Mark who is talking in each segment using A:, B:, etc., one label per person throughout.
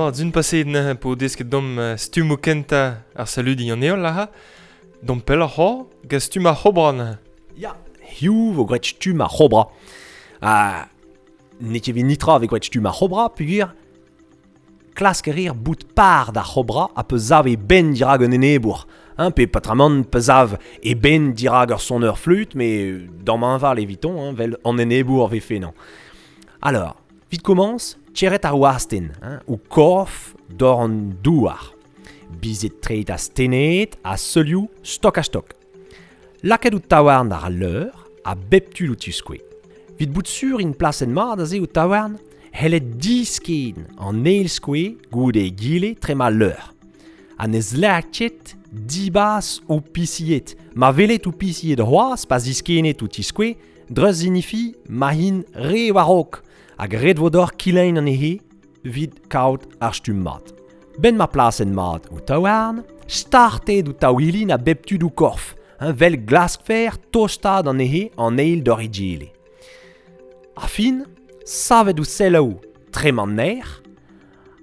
A: Ma, d'un paseet neuze po desket dom stummoù kentañ ar saludiñ an heol aze. Dom pelloc'h c'hoazh, gant stumm ar c'hobra neuze.
B: Ya, hiziv vo graet stumm ar c'hobra. Ha n'eo ket evit netra e vez graet stumm ar c'hobra peogwir klask a reer bout par d'ar c'hobra ha pa sav e benn dirak un enebour. Hein, pe patramant pa sav e benn dirak ur soneur fleüt, met damhañval eviton, hein, 'vel an enebour 'vefe 'nañ. Alors, 'vit komañs, tcherret ar wastenn, hein, ho korf doc'h an douar. Bizet treid astennet ha seulioù stok-ha-stok. Lakaet ho taouarn àr al leur a bep tu d'ho tiskouez. 'Vit bout sur int plaset mat aze ho taouarn, c'hellet disken an eil skoez goude egile trema al leur. Ha ne zleer ket dibas ho pisied. Ma welet ho pisied c'hoazh pa ziskennet ho tiskouez, dreuz sinifi ma int re war-raok hag ret vo deoc'h kilein anezhe 'vit kaout ar stumm mat. 'Benn ma plasenn mat ho taouarn, startet ho taouilin a bep tu d'ho korf, hein, 'vel glaskfer tostaat anezhe an eil doc'h egile. Ar fin, savet ho selloù trema an nec'h,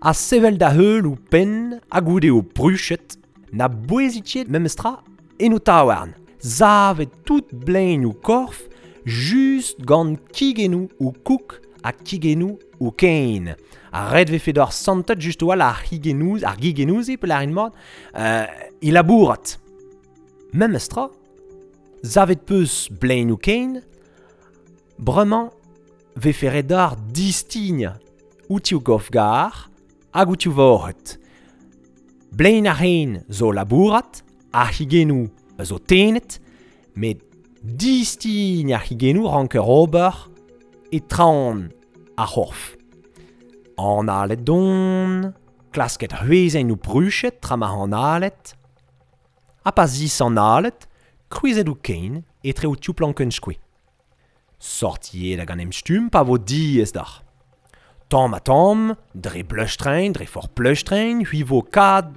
B: ha sevel da heul ho penn ha goude ho pruched, na bouezit ket memestra en ho taouarn. Savet tout blein ho korf just gant kigennoù ho koug ha kigennoù ho kein. Ha ret 'vefe deoc'h santet just a-walc'h ar c'higennoù, ar gigennoù-se, pe lârin mat, e labourat. Memestra, savet 'peus blein ho kein, bremañ 'vefe ret deoc'h distignañ outi ho korf-gar hag outi ho vored. Blein ar c'hein zo labourat, ar c'higennoù zo tennet, met distign ar c'higennoù ranker ober e traoñ ar c'horf. Analet don, klasket c'hwezenn ho pruched tra ma analet, ha pa zisanalet, krouizet ho kein etre ho tiv plankenn skoe. Sortiet hag an emstumm pa vo diaes deoc'h. Tamm-ha-tamm, dre bleustreñ, dre forzh pleustreñ, c'hwi vo kad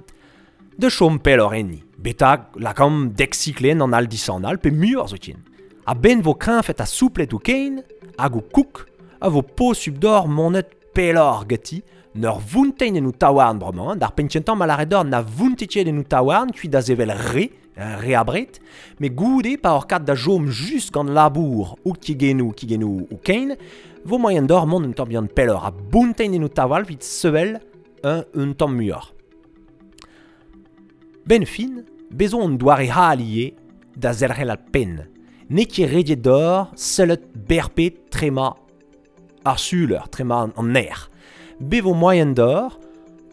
B: da chom pelloc'h enni, betek lakaomp dek siklenn an all-disanal pe muioc'h zoken. A-benn vo kreñvet ha souplet ho kein hag ho koug a vo posupl deoc'h monet pelloc'h ganti 'n ur vountein en ho taouarn bremañ. D'ar penn-kentañ ma lâret deoc'h na vountit ket en ho taouarn kuit da sevel re, re abred, met goude pa oc'h kat da chom just gant labour ho kigennoù, kigennoù ho kein, vo moaien deoc'h mont un tamm bihan pelloc'h ha bountein en ho taouarn evit sevel un tamm muioc'h. 'Benn fin, bez zo un doare all ivez da zelc'hel ar penn. N'eo ket rediet deoc'h sellet berped trema ar suleur, trema an aer. Bez vo moaien deoc'h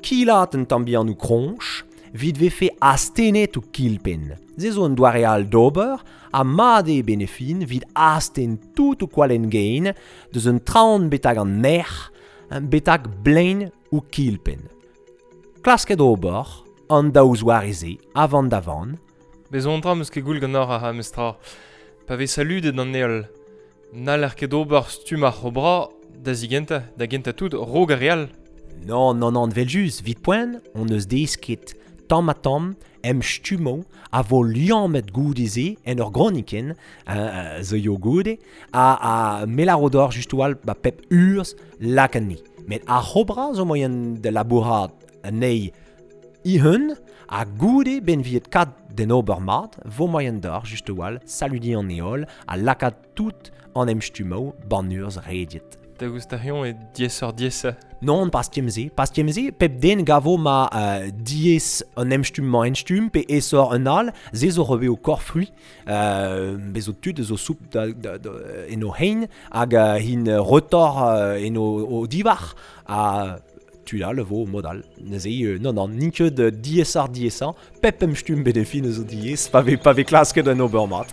B: kilat un tamm bihan ho kroñj 'vit 'vefe astennet ho kilpenn. Se zo un doare all d'ober ha mat eo 'benn ar fin 'vit astenn tout ho kwalenn-gein deus an traoñ betek an nec'h, betek blein ho kilpenn. Klasket ober an daou zoare-se a-vann da vann.
A: Bez zo un dra 'm eus ket goull ganeoc'h ar memes tra. Pa vez saludet an heol, n'haller ket ober stumm ar c'hobra da zigentañ, da gentañ tout, raok ar re all.
B: Non, non, non, 'vel-just, 'vit poent hon eus desket tamm-ha-tamm em stummoù a vo liammet goude-se en ur gronikenn zo yo goude ha me lâro deoc'h just a-walc'h ba pep urzh lak anezhi. Met ar c'hobra zo moaien da labourat anezhi e-un ha goude 'benn viet kat d'en ober mat vo moaien deoc'h just a-walc'h saludiñ an heol ha lakaat tout an emstummoù 'ban urzh rediet.
A: Daoust ha eñ eo diaesoc'h-diaesañ?
B: Non, pas kement-se. Pas kement-se, pep den gavo ma diaes an emstumm-mañ emstumm pe aesoc'h un all, se zo revez ho korf-c'hwi. Bez zo tud zo soup da, da, da, en o c'hein hag int retoc'h en o divhar ha tud all vo mod all. Neuze, non, non, n'int ket diaesoc'h-diaesañ. Pep emstumm bet e fin zo diaes pa vez, pa vez klasket un ober mat.